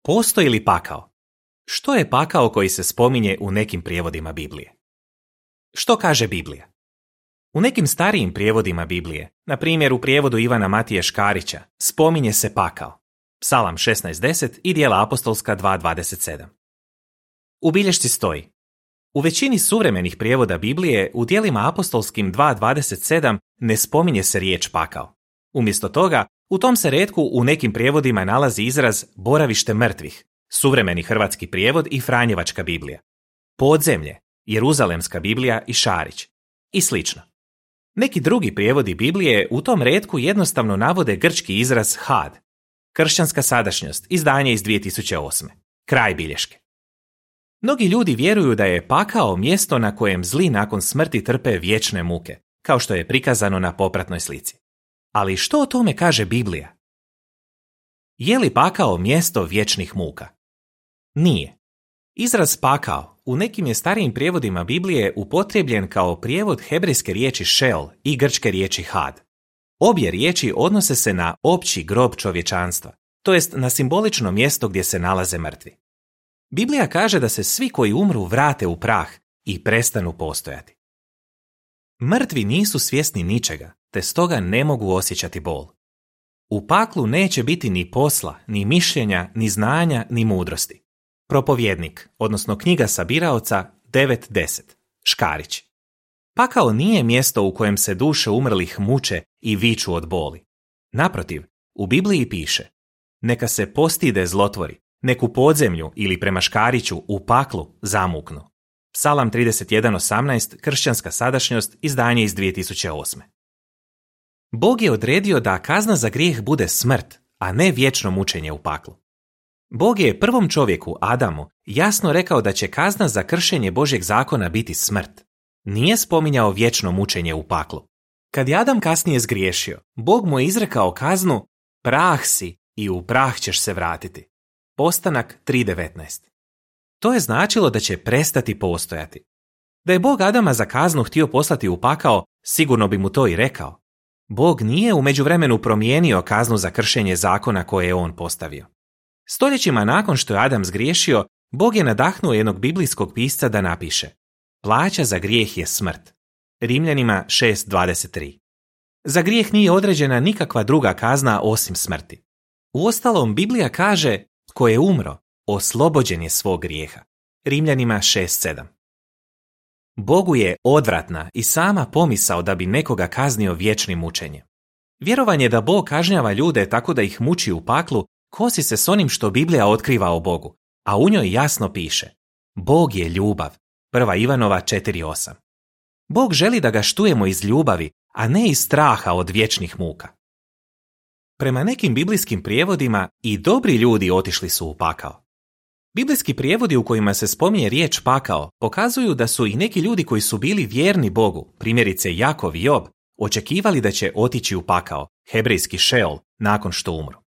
Postoji li pakao? Što je pakao koji se spominje u nekim prijevodima Biblije? Što kaže Biblija? U nekim starijim prijevodima Biblije, na primjer u prijevodu Ivana Matije Škarića, spominje se pakao. Psalam 16.10 i Djela apostolska 2.27. U bilješci stoji: u većini suvremenih prijevoda Biblije u Djelima apostolskim 2.27 ne spominje se riječ pakao. Umjesto toga, u tom se retku u nekim prijevodima nalazi izraz boravište mrtvih, suvremeni hrvatski prijevod i Franjevačka Biblija, podzemlje, Jeruzalemska Biblija i Šarić i slično. Neki drugi prijevodi Biblije u tom retku jednostavno navode grčki izraz had. Kršćanska sadašnjost, izdanje iz 2008. Kraj bilješke. Mnogi ljudi vjeruju da je pakao mjesto na kojem zli nakon smrti trpe vječne muke, kao što je prikazano na popratnoj slici. Ali što o tome kaže Biblija? Je li pakao mjesto vječnih muka? Nije. Izraz pakao u nekim je starijim prijevodima Biblije upotrijebljen kao prijevod hebrejske riječi šel i grčke riječi had. Obje riječi odnose se na opći grob čovječanstva, to jest na simbolično mjesto gdje se nalaze mrtvi. Biblija kaže da se svi koji umru vrate u prah i prestanu postojati. Mrtvi nisu svjesni ničega, te stoga ne mogu osjećati bol. U paklu neće biti ni posla, ni mišljenja, ni znanja, ni mudrosti. Propovjednik, odnosno knjiga Sabiraoca 9.10. Škarić. Pakao nije mjesto u kojem se duše umrlih muče i viču od boli. Naprotiv, u Bibliji piše: neka se postide zlotvori, nek u podzemlju ili prema Škariću u paklu zamuknu. Psalam 31.18, kršćanska sadašnjost, izdanje iz 2008. Bog je odredio da kazna za grijeh bude smrt, a ne vječno mučenje u paklu. Bog je prvom čovjeku, Adamu, jasno rekao da će kazna za kršenje Božjeg zakona biti smrt. Nije spominjao vječno mučenje u paklu. Kad je Adam kasnije zgriješio, Bog mu je izrekao kaznu: prah si i u prah ćeš se vratiti. Postanak 3.19. To je značilo da će prestati postojati. Da je Bog Adama za kaznu htio poslati u pakao, sigurno bi mu to i rekao. Bog nije u međuvremenu promijenio kaznu za kršenje zakona koje je on postavio. Stoljećima nakon što je Adam zgriješio, Bog je nadahnuo jednog biblijskog pisca da napiše: plaća za grijeh je smrt. Rimljanima 6.23. Za grijeh nije određena nikakva druga kazna osim smrti. Uostalom, Biblija kaže: tko je umro, oslobođen je svog grijeha. Rimljanima 6.7. Bogu je odvratna i sama pomisao da bi nekoga kaznio vječnim mučenjem. Vjerovanje da Bog kažnjava ljude tako da ih muči u paklu kosi se s onim što Biblija otkriva o Bogu, a u njoj jasno piše: Bog je ljubav. 1. Ivanova 4.8. Bog želi da ga štujemo iz ljubavi, a ne iz straha od vječnih muka. Prema nekim biblijskim prijevodima i dobri ljudi otišli su u pakao. Biblijski prijevodi u kojima se spominje riječ pakao pokazuju da su i neki ljudi koji su bili vjerni Bogu, primjerice Jakov i Job, očekivali da će otići u pakao, hebrejski šeol, nakon što umru.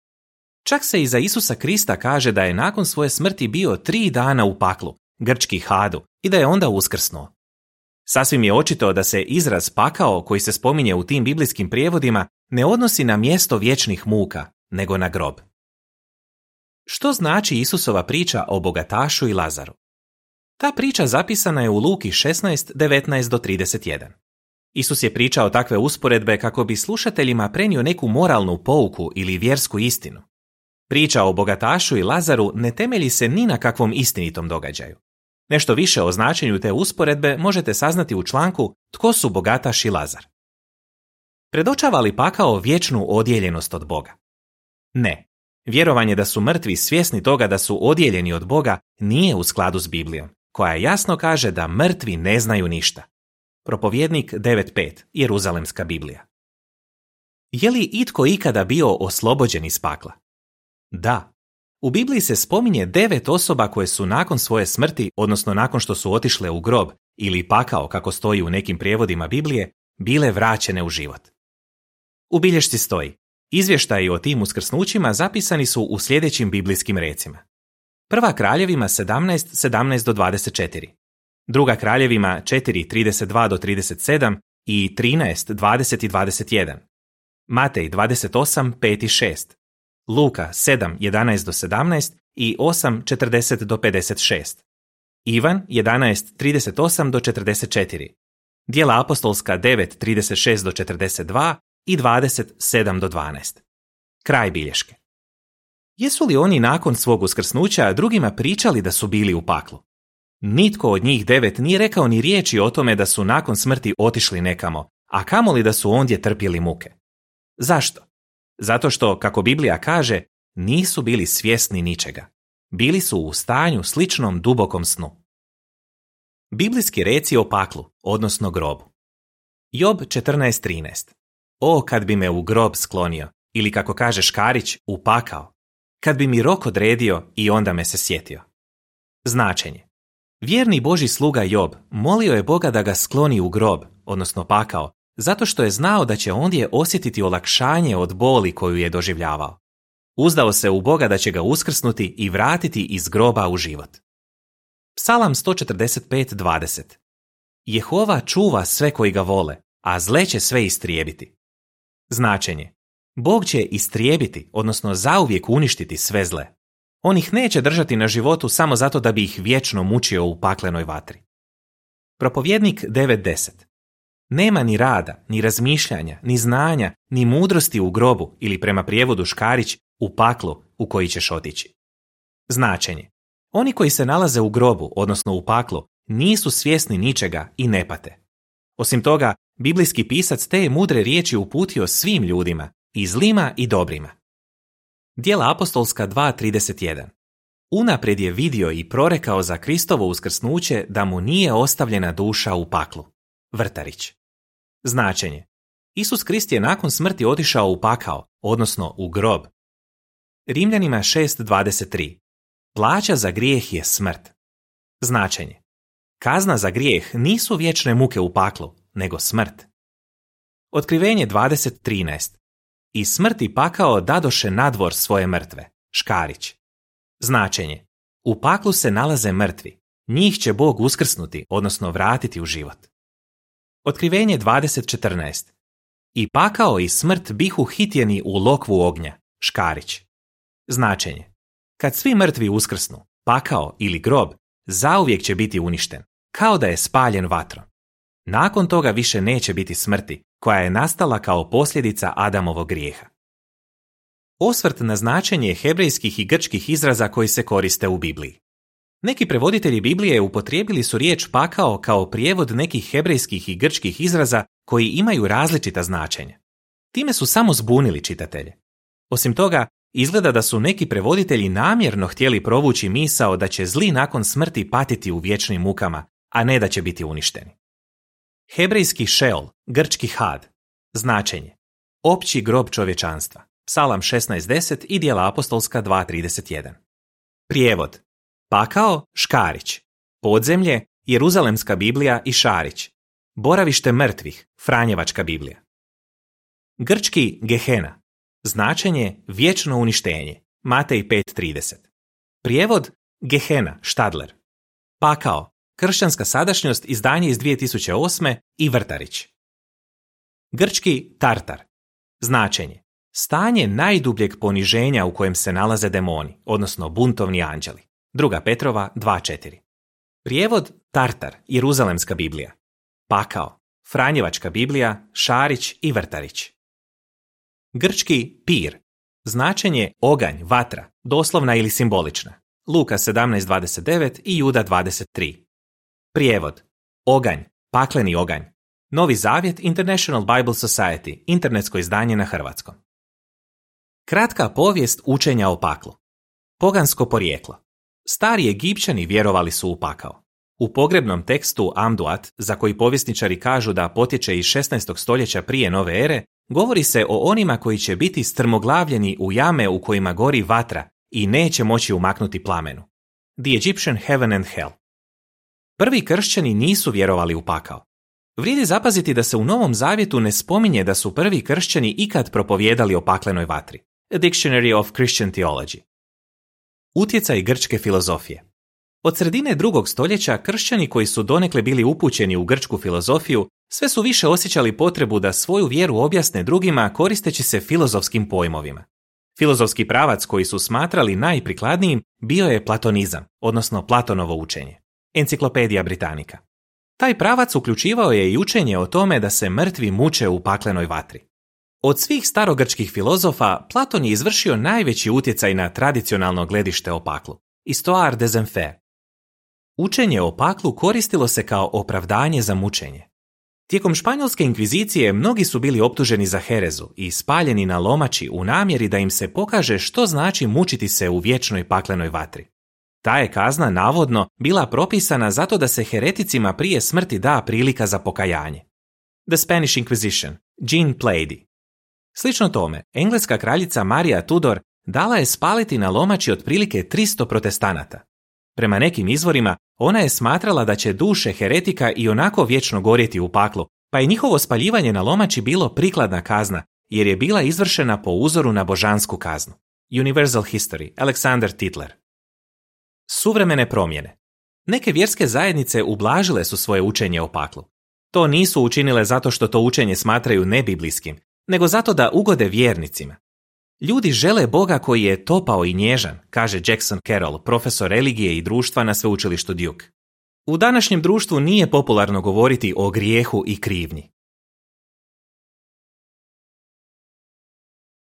Čak se i za Isusa Krista kaže da je nakon svoje smrti bio 3 dana u paklu, grčki hadu, i da je onda uskrsnuo. Sasvim je očito da se izraz pakao koji se spominje u tim biblijskim prijevodima ne odnosi na mjesto vječnih muka, nego na grob. Što znači Isusova priča o bogatašu i Lazaru? Ta priča zapisana je u Luki 16:19-31. Isus je pričao takve usporedbe kako bi slušateljima prenio neku moralnu pouku ili vjersku istinu. Priča o bogatašu i Lazaru ne temelji se ni na kakvom istinitom događaju. Nešto više o značenju te usporedbe možete saznati u članku Tko su bogataš i Lazar? Predočava li pakao vječnu odijeljenost od Boga? Ne. Vjerovanje da su mrtvi svjesni toga da su odijeljeni od Boga nije u skladu s Biblijom, koja jasno kaže da mrtvi ne znaju ništa. Propovjednik 9.5, Jeruzalemska Biblija. Je li itko ikada bio oslobođen iz pakla? Da. U Bibliji se spominje 9 osoba koje su nakon svoje smrti, odnosno nakon što su otišle u grob ili pakao, kako stoji u nekim prijevodima Biblije, bile vraćene u život. U bilješci stoji: izvještaji o tim uskrsnućima zapisani su u sljedećim biblijskim recima. Prva Kraljevima 17:17-24, Druga Kraljevima 4:32-37 i 13:20-21, Matej 28:5-6, Luka 7:11-17 i 8:40-56. Ivan 11:38-44. Djela apostolska 9:36-42 i 27-12. Kraj bilješke. Jesu li oni nakon svog uskrsnuća drugima pričali da su bili u paklu? Nitko od njih 9 nije rekao ni riječi o tome da su nakon smrti otišli nekamo, a kamoli da su ondje trpjeli muke. Zašto? Zato što, kako Biblija kaže, nisu bili svjesni ničega. Bili su u stanju sličnom dubokom snu. Biblijski reci o paklu, odnosno grobu. Job 14:13. O, kad bi me u grob sklonio, ili kako kaže Škarić, upakao. Kad bi mi rok odredio i onda me se sjetio. Značenje. Vjerni Božji sluga Job molio je Boga da ga skloni u grob, odnosno pakao, zato što je znao da će ondje osjetiti olakšanje od boli koju je doživljavao. Uzdao se u Boga da će ga uskrsnuti i vratiti iz groba u život. Psalam 145:20. Jehova čuva sve koji ga vole, a zle će sve istrijebiti. Značenje. Bog će istrijebiti, odnosno zauvijek uništiti sve zle. On ih neće držati na životu samo zato da bi ih vječno mučio u paklenoj vatri. Propovjednik 9:10. Nema ni rada, ni razmišljanja, ni znanja, ni mudrosti u grobu ili prema prijevodu Škarić u paklu u koji ćeš otići. Značenje. Oni koji se nalaze u grobu, odnosno u paklu, nisu svjesni ničega i ne pate. Osim toga, biblijski pisac te je mudre riječi uputio svim ljudima, i zlima i dobrima. Djela apostolska 2:31. Unaprijed je vidio i prorekao za Kristovo uskrsnuće da mu nije ostavljena duša u paklu. Vrtarić. Značenje. Isus Krist je nakon smrti otišao u pakao, odnosno u grob. Rimljanima 6:23. Plaća za grijeh je smrt. Značenje. Kazna za grijeh nisu vječne muke u paklu, nego smrt. Otkrivenje 20:13. I smrti pakao dadoše nadvor svoje mrtve. Škarić. Značenje. U paklu se nalaze mrtvi. Njih će Bog uskrsnuti, odnosno vratiti u život. Otkrivenje 20:14. I pakao i smrt bihu hitjeni u lokvu ognja. Škarić. Značenje. Kad svi mrtvi uskrsnu, pakao ili grob zauvijek će biti uništen, kao da je spaljen vatrom. Nakon toga više neće biti smrti, koja je nastala kao posljedica Adamovog grijeha. Osvrt na značenje hebrejskih i grčkih izraza koji se koriste u Bibliji. Neki prevoditelji Biblije upotrijebili su riječ pakao kao prijevod nekih hebrejskih i grčkih izraza koji imaju različita značenja. Time su samo zbunili čitatelje. Osim toga, izgleda da su neki prevoditelji namjerno htjeli provući misao da će zli nakon smrti patiti u vječnim mukama, a ne da će biti uništeni. Hebrejski Šeol, grčki Had. Značenje. Opći grob čovječanstva. Psalam 16:10 i Djela apostolska 2:31. Prijevod. Pakao, Škarić. Podzemlje, Jeruzalemska Biblija i Šarić. Boravište mrtvih, Franjevačka Biblija. Grčki Gehena. Značenje vječno uništenje. Matej 5:30. Prijevod Gehena, Štadler. Pakao, kršćanska sadašnjost, izdanje iz 2008. i Vrtarić. Grčki Tartar. Značenje. Stanje najdubljeg poniženja u kojem se nalaze demoni, odnosno buntovni anđeli. 2. Petrova 2:4. Prijevod Tartar, Jeruzalemska Biblija. Pakao, Franjevačka Biblija, Šarić i Vrtarić. Grčki Pir. Značenje oganj, vatra, doslovna ili simbolična. Luka 17:29 i Juda 23. Prijevod. Oganj, pakleni oganj. Novi Zavjet, International Bible Society, internetsko izdanje na hrvatskom. Kratka povijest učenja o paklu. Pogansko porijeklo. Stari Egipćani vjerovali su u pakao. U pogrebnom tekstu Amduat, za koji povjesničari kažu da potječe iz 16. stoljeća prije nove ere, govori se o onima koji će biti strmoglavljeni u jame u kojima gori vatra i neće moći umaknuti plamenu. The Egyptian Heaven and Hell. Prvi kršćani nisu vjerovali u pakao. Vrijedi zapaziti da se u Novom Zavjetu ne spominje da su prvi kršćani ikad propovijedali o paklenoj vatri. A Dictionary of Christian Theology. Utjecaj grčke filozofije. Od sredine 2. stoljeća kršćani koji su donekle bili upućeni u grčku filozofiju sve su više osjećali potrebu da svoju vjeru objasne drugima koristeći se filozofskim pojmovima. Filozofski pravac koji su smatrali najprikladnijim bio je platonizam, odnosno Platonovo učenje. Enciklopedija Britannica. Taj pravac uključivao je i učenje o tome da se mrtvi muče u paklenoj vatri. Od svih starogrčkih filozofa, Platon je izvršio najveći utjecaj na tradicionalno gledište o paklu. Histoire des enfers. Učenje o paklu koristilo se kao opravdanje za mučenje. Tijekom španjolske inkvizicije mnogi su bili optuženi za herezu i spaljeni na lomači u namjeri da im se pokaže što znači mučiti se u vječnoj paklenoj vatri. Ta je kazna navodno bila propisana zato da se hereticima prije smrti da prilika za pokajanje. The Spanish Inquisition, Jean Plaidy. Slično tome, engleska kraljica Marija Tudor dala je spaliti na lomači otprilike 300 protestanata. Prema nekim izvorima, ona je smatrala da će duše heretika i onako vječno gorjeti u paklu, pa je njihovo spaljivanje na lomači bilo prikladna kazna, jer je bila izvršena po uzoru na božansku kaznu. Universal History, Alexander Tytler. Suvremene promjene. Neke vjerske zajednice ublažile su svoje učenje o paklu. To nisu učinile zato što to učenje smatraju nebiblijskim, nego zato da ugode vjernicima. Ljudi žele Boga koji je topao i nježan, kaže Jackson Carroll, profesor religije i društva na sveučilištu Duke. U današnjem društvu nije popularno govoriti o grijehu i krivnji.